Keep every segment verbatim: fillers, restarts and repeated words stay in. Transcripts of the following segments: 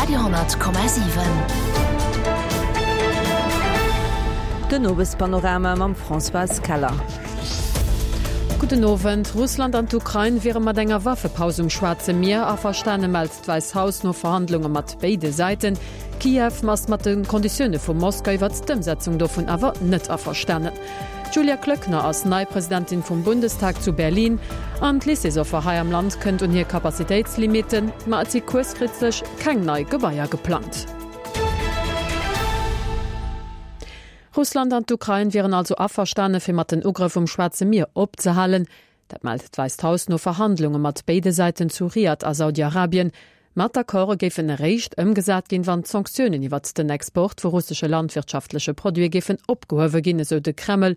Radio honnert Komma siwen. Den Owespanorama mam Françoise Keller. Gudden Owend. Russland an d'Ukrain wiere mat enger Waffepaus um Schwaarze Mier averstane, mellt d'Wäisst Haus no Verhandlunge mat béide Säiten. Kiew ass mat de Konditioune vu Moskau iwwert d'Ëmsetzung dovun awer net averstanen. D'Julia Klöckner ass nei Presidentin vum Bundestag zu Berlin. An d'Lycéesoffer hei am Land kënnt un hir Capacitéitslimitten, ma et si kuerzfristeg keng nei Gebaier geplangt. Russland an d'Ukrain wieren also averstane fir mat den Ugrëff um Schwaarze Mier opzehalen. Dat mellt d'Wäisst Haus no Verhandlunge mat béide Säiten zu Riad a Saudi-Arabien. Ma d'Accorde géifen eréischt ëmgesat ginn, wann d'Sanktiounen iwwert den Export vu russesche landwirtschaftleche Produite géifen opgehuewe ginn, esou de Kreml.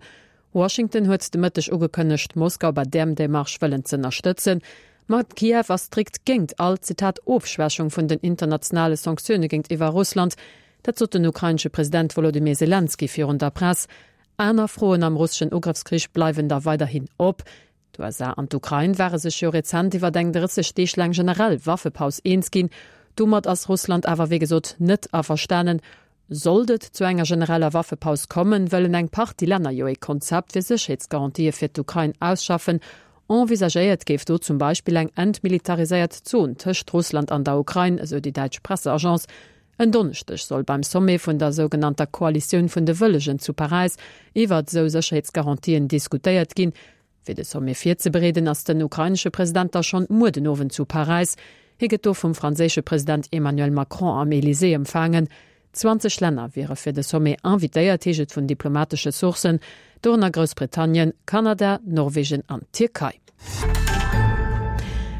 Washington huet de Mëtteg ugekënnegt, Moskau bei där Demarche wëllen z'ënnerstëtzen. Ma Kiew ass strikt géint all, Zitat, Ofschwächung vun den internationale Sanktioune géintiwwer Russland. Dat sot den ukrainesche President Wolodymyr Selenskyj virun der Press. Aner Froen am russeschen Ugrëffskrich bleiwen da weiderhin op. D'U S A an d'Ukrain ware sech jo rezent iwwer eng drësseg Deeg laang generell Waffepaus eens ginn. Domat ass Russland awer wéi gesot net averstanen. Sollt et zu enger genereller Waffepaus kommen, wëllen eng Partie Länner jo ee Konzept fir Sécherheetsgarantië fir d'Ukrain ausschaffen. Envisagéiert géif do zum Beispill eng entmilitariséiert Zon tëscht Russland an der Ukrain, esou déi däitsch Presseagence. En Donneschdeg soll beim Sommet vun der sougenannter Koalitioun vun de Wëllegen zu Paräis iwwer esou Sécherheetsgarantien diskutéiert ginn. Fir de Sommet virzebereeden, ass den ukrainesche President da schonn muer den Owend zu Paräis. Hie gëtt do vum franséische President Emmanuel Macron am Elysée empfaangen. zwanzeg Länner wiere fir de Sommet invitéiert, heescht et vun diplomatesche Sourcen, dorënner Groussbritannien, Kanada, Norwegen an d'Tierkei.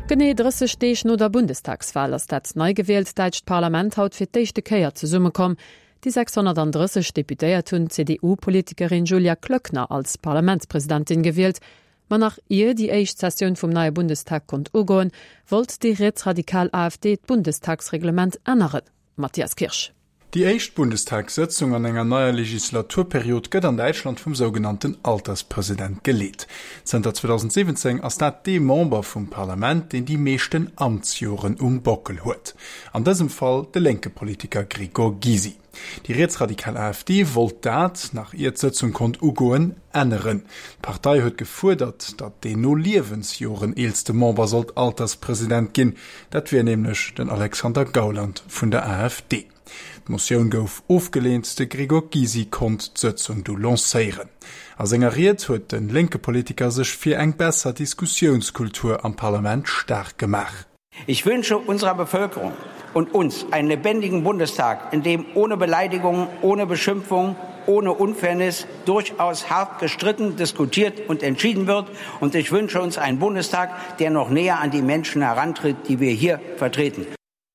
Genee drësseg Deeg no der Bundestagswal ass dat nei gewielt däitscht Parlament haut fir d'éischte Kéier zesummekomm. Déi sechshonnertandrësseg Deputéiert hunn d'C D U-Politikerin Julia Klöckner als Parlamentspresidentin gewielt. Ma nach ier déi éischt Sessioun vum neie Bundestag konnt ugoen, wollt déi rietsradikal A F D d'Bundestagsreglement änneren. Matthias Kirsch. Déi éischt Bundestagssëtzung an enger neier Legislaturperiod gëtt an Däitschland vum sougenannten Alterspresident geleet. Zënter zweedausendsiwwenzéng ass dat dee Member vum Parlament, deen déi meeschten Amtsjoren um Bockel huet. An dësem Fall de lénke Politiker Gregor Gysi. Déi rietsradikal A F D wollt dat, nach ier d'Sëtzung konnt ugoen, änneren. D'Partei huet gefuerdert, datt deen no Liewensjoren eelste Member sollt Alterspresident ginn. Dat wier nämlech den Alexander Gauland vun der A F D. D'Motioun gouf ofgeleent, de Gregor Gysi konnt d'Sëtzung du lancéieren. A senger Ried huet den lénke Politiker sech fir eng besser Diskussiounskultur am Parlament staark gemaach. Ich wünsche unserer Bevölkerung und uns einen lebendigen Bundestag, in dem ohne Beleidigung, ohne Beschimpfung, ohne Unfairness durchaus hart gestritten, diskutiert und entschieden wird. Und ich wünsche uns einen Bundestag, der noch näher an die Menschen herantritt, die wir hier vertreten.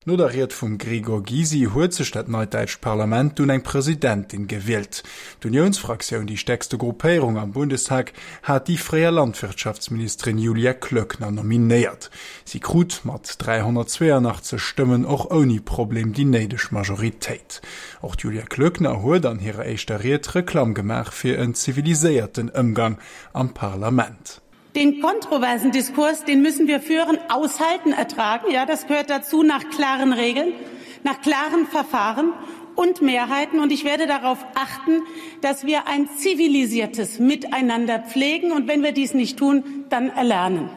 No der Ried vum Gregor Gysi huet sech dat neit däitscht Parlament dunn eng Presidentin gewielt. D'Unionsfraktioun, déi stäerkste Gruppéierung am Bundestag, hat déi fréier Landwirtschaftsministerin Julia Klöckner nominéiert. Si krut mat dräihonnertzweiundachtzeg Stëmmen och ouni Problem déi néideg Majoritéit. Och d'Julia Klöckner huet an hirer éischter Ried Reklamm gemaach fir en ziviliséierten Ëmgang am Parlament. Den kontroversen Diskurs, den müssen wir führen, aushalten, ertragen. Ja, das gehört dazu, nach klaren Regeln, nach klaren Verfahren und Mehrheiten. Und ich werde darauf achten, dass wir ein zivilisiertes Miteinander pflegen. Und wenn wir dies nicht tun, dann erlernen.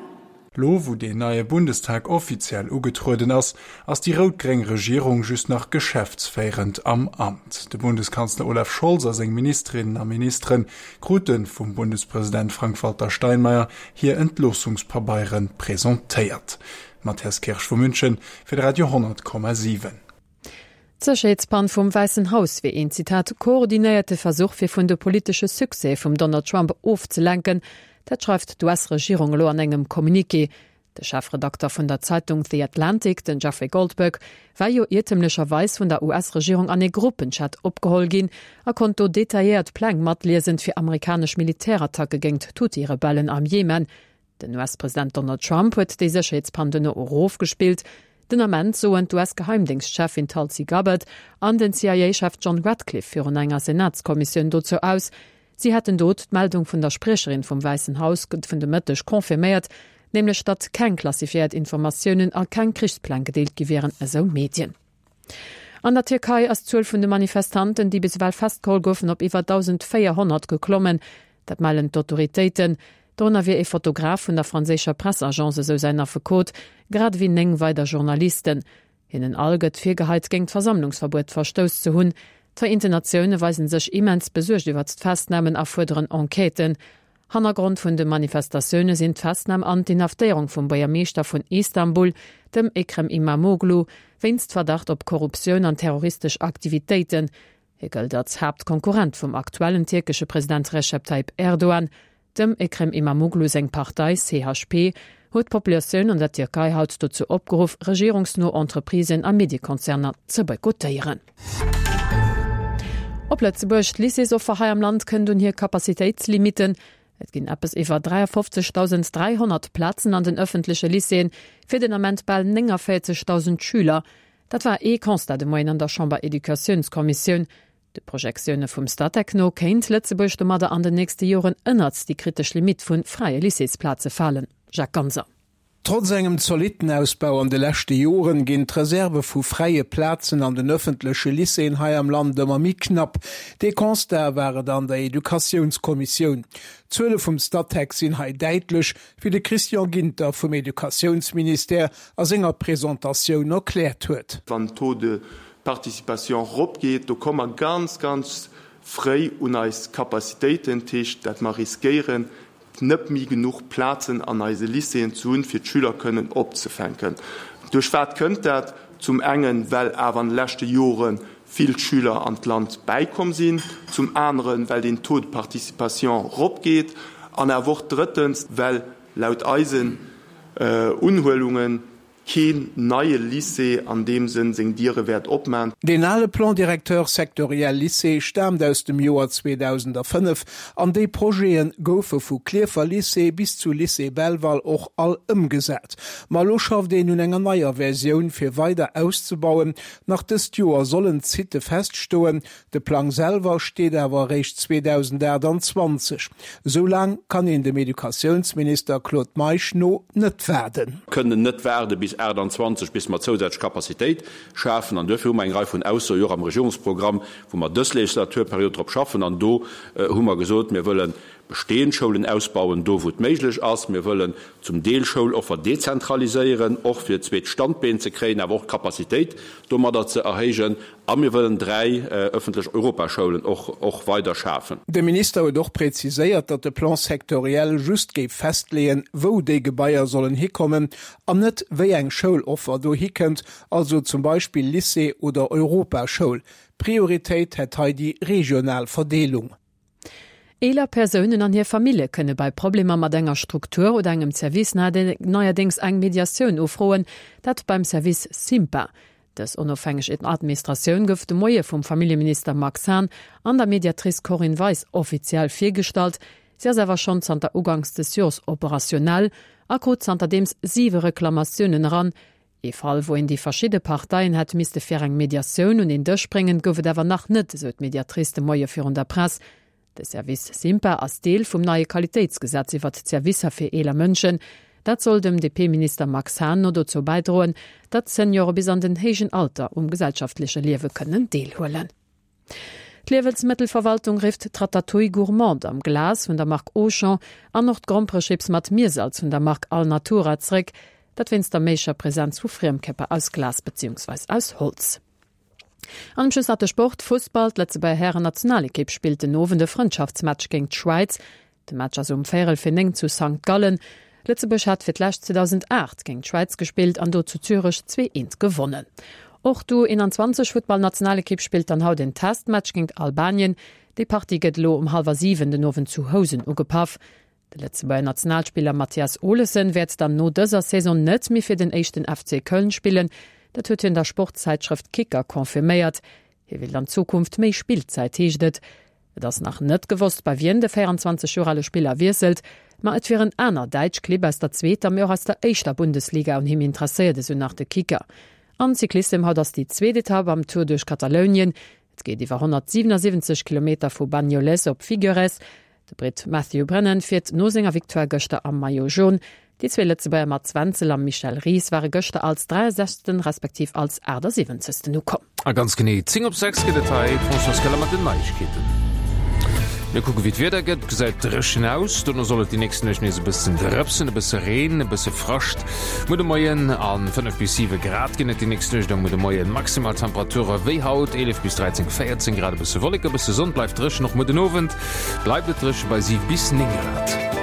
Lo, wou deen neie Bundestag offiziell ugetrueden ass, ass déi rot-gréng Regierung just nach geschäftsféierend am Amt. De Bundeskanzler Olaf Scholz a seng Ministerinnen a Ministeren kruten vum Bundespräsident Frank-Walter Steinmeier hir Entloossungspabeiere presentéiert. Matthias Kirsch vu München fir de Radio honnert Komma siwen. D'Sécherheetspann vum Weißen Haus wier een, Zitat, koordinéierte Versuch fir vun de politesche Succès vum Donald Trump ofzelenken. Dat schreift d'U S-Regierung elo an engem Communiqué. De Chefredakter vun der Zeitung The Atlantic, den Jeffrey Goldberg, war jo iertemlecherweis vun der U S-Regierung an e Gruppenchat opgeholl ginn a konnt do detailléiert Pläng matliesen fir amerikanesch Militärattacke géint d'Houthi-Rebellen am Jemen. Den U S-President Donald Trump huet déi Sécherheetspann duerno erofgespillt. Den Ament soen d'U S-Geheimdienstchefin Tulsi Gabbard an den C I A-Chef John Ratcliffe virun enger Senatskommissioun dozou aus. Sie hätten dort d'Meldung vun der Sprecherin vum Weißen Haus vun de Mëtteg confirméiert, nämlech datt keng klassifiziert Informatiounen a keng Krichspläng gedeelt gi wären, esou Medien. An der Tierkei ass d'Zuel vun de Manifestanten, déi bis ewell festgeholl goufen, op iwwer dausendvéierhonnert geklommen. Dat mellen d'Autoritéiten. Dorënner wier ee Fotograf vun der franséischer Pressagence, esou säin Affekot, grad ewéi néng weider Journalisten. Hinnen all gëtt virgeheit, géint d'Versammlungsverbuet verstouss ze hunn. D'Vereenten Natioune weisen sech immens besuergt iwwert d'Festnamen a fuerderen Enquêten. Hannergrond vun de Manifestatioune sinn d'Festnam an d'Inhaftéierung vum Buergermeeschter vun Istanbul, dem Ekrem Imamoglu, wéinst Verdacht op Korruptioun an terroristesch Aktivitéiten. Hie gëllt als Haaptkonkurrent vum aktuellen tierkesche President Recep Tayyip Erdogan. Dem Ekrem Imamoglu seng Partei C H P huet d'Populatioun an der Tierkei haut dozou opgeruff, regierungsno Entreprisen a Mediekonzerner ze boykottéieren. Op Lëtzebuerg, D'Lycéesoffer hei am Land kënnt un hir Capacitéitslimitten. Et ginn eppes iwwer dräiafofzegdausend dräihonnert Plazen an den ëffentleche Lycéeën, fir den Ament bal nénganvéierzegdausend Schüler. Dat war ee Constat de Moien an der Chamber-Educatiounskommissioun. De Projektioune vum Statec no kéint Lëtzebuerg domadder an den nächste Joren ënnert déi kritesch Limitt vu fräie Lycéesplaze falen. Jacques Ganser. Trotz engem zolitten Ausbau an de leschte Joren ginn d'Reserve vu fräie Plazen an den ëffentleche Lycéeën hei am Land ëmmer méi knapp. Dee Constat war et an der Educatiounskommissioun. D'Zuele vum Statec sinn hei däitlech, wéi de Christian Ginter vum Educatiounsministère a senger Presentatioun erkläert huet. Wann den Taux de participation eropgeet, do komme mer ganz, ganz fréi un eis Capacitéiten, dat heescht, dat mer riskéieren, net méi genuch Plazen an eise Lycéeën ze hunn, fir d'Schüler kënnen opzefänken. Duerch wat kënnt dat? Zum engen, well awer an de leschte Jore vill Schüler an d'Land bäikomm sinn, zum aneren, well den Taux de participation eropgeet an awer och drëttens, well laut eisen Unhuelungen keen neie Lycée an deem Sënn seng Diere wäert opman. Deen ale Plan directeur sectoriel Lycée staamt aus dem Joer zweedausendafënnef an déi Projete goufe vu Klierfer Lycée bis zu Lycée Belval och all ëmgesat. Ma elo schafft een un enger neier Versioun fir weider auszebauen. Nach dëst Joer sollen d'Sitte feststoen, de Plang selwer steet awer eréischt zweedausendaachtanzwanzeg. Esou laang kann een dem Educatiounsminister Claude Meisch no net waarden. Kënnen net waarde bis achtundzwanzeg, bis mer zousätzlech Capacitéit schafen. An duerfir hu mer eng Rei vun Aussoe och am Regierungsprogramm, wou mer dës Legislaturperiod drop schaffen. An do hu mer gesot, mir wëllen bestehend Schoulen ausbauen, do wou et méiglech ass. Mir wëllen zum Deel Schouloffer dezentraliséieren, och fir zweet Standbeen ze kréien, awer och d'Capacitéit domadder ze erhéijen. A mir wëllen dräi ëffentlech Europaschoulen och, och weider schafen. De Minister huet och präziséiert, datt de Plan sectoriel just géif festleeën, wou déi Gebaier sollen hikommen an net wéi eng Schouloffer do hikënnt, also zum Beispill Lycée oder Europaschoul. Prioritéit hätt hei déi regional Verdeelung. Eeler Persounen an hir Famillje kënne bei Problemer mat enger Struktur oder engem Service neierdéngs eng Mediatioun ufroen, dat beim Service SIMPA. Dës onofhängeg Administratioun gouf de Moie vum Familljeminister Max Hahn an der Mediatrice Corinne Weis offiziell virgestallt. Si ass awer schonn zanter uganks des Joers operationell a krut zanterdeems siwe Reklamatiounen eran. Ee Fall, wou een déi verschidde Parteien hätt misste fir eng Mediatioun un een Dësch bréngen, gouf et awer nach net, esou d'Mediatrice de Moie virun der Press. De Service SIMPA ass Deel vum neie Qualitéitsgesetz iwwert d'Servicer fir eeler Mënschen. Dat soll dem D P-Minister Max Hahn no dozou bäidroen, datt Seniore bis an den héijen Alter um gesellschaftleche Liewe kënnen deelhuelen. D'Liewensmëttelverwaltung rifft d'Ratatouille Gourmande am Glas vun der Mark Auchan an och d'Gromperechips mat Miersalz vun der Mark Alnatura zréck, dat wéinst der méiglecher Presenz vu Friemkörper aus Glas beziehungsweise aus Holz. An um Schluss nach de Sport, Fussball, d'Lëtzebuerger Hären-Nationalekipp spillt den Owend e Frëndschaftsmatch géint d'Schwäiz. De Match ass um véierel fir néng zu Sankt Gallen. Lëtzebuerg hat fir d'lescht zweetausendacht géint d'Schwäiz gespillt an do zu Zürech zwee eent gewonnen. Och d'U einundzwanzeg Futtballnationalekipp spillt dann haut den Testmatch géint Albanien. Déi Partie gëtt elo um hallwer siwen den Owend zu Housen ugepaff. De Lëtzebuerger Nationalspiller Mathias Olesen wäert dann no dëser Saison net méi fir den éischten F C Köln spillen. Dat huet hien der Sportzeitschrëft Kicker confirméiert. Hie will an Zukunft méi Spillzäit, heescht et. Et ass nach net gewosst, bei wien de vierundzwanzeg Joer ale Spiller wiesselt, ma et wieren aner däitsch Clibb aus der zweeter, mee och aus der éischter Bundesliga un him interesséiert, esou nach de Kicker. An Cyclissem haut ass déi zweet Etapp am Tour duerch Katalounien. Et geet iwwer honnertsiwwenundsiwwenzeg Kilometer vu Banyoles op Figueres. De Brit Matthew Brennan fiert no senger Victoire gëschter am Maillot jaune. Déi zwee Lëtzebuerger Mats Wenzel a Michel Ries ware gëschter als dräiasechzegsten respektiv als aachtsiwwenzegsten ukomm. A ganz genee zéng op sechs gëtt et hei d'Françoise Keller mat den Neiegkeeten. Mir kucke wéi d'Wieder gëtt. Gesäit dréchen aus. Dono soll et déi nächsten Nuecht nees e bëssen drëpsen, e bësse Reen, e bësse Frascht muer de Moien a fënnef bis siwe Grad ginn et déi nächst Nuecht a muer de Moien. Maximal Temperature wéi haut, eelef bis dräizéng, véierzéng Grad, e bësse Wollek, e bësse Sonn, bleift dréchen. Och muer den Owend bleift et dréche bei siwe bis néng Grad.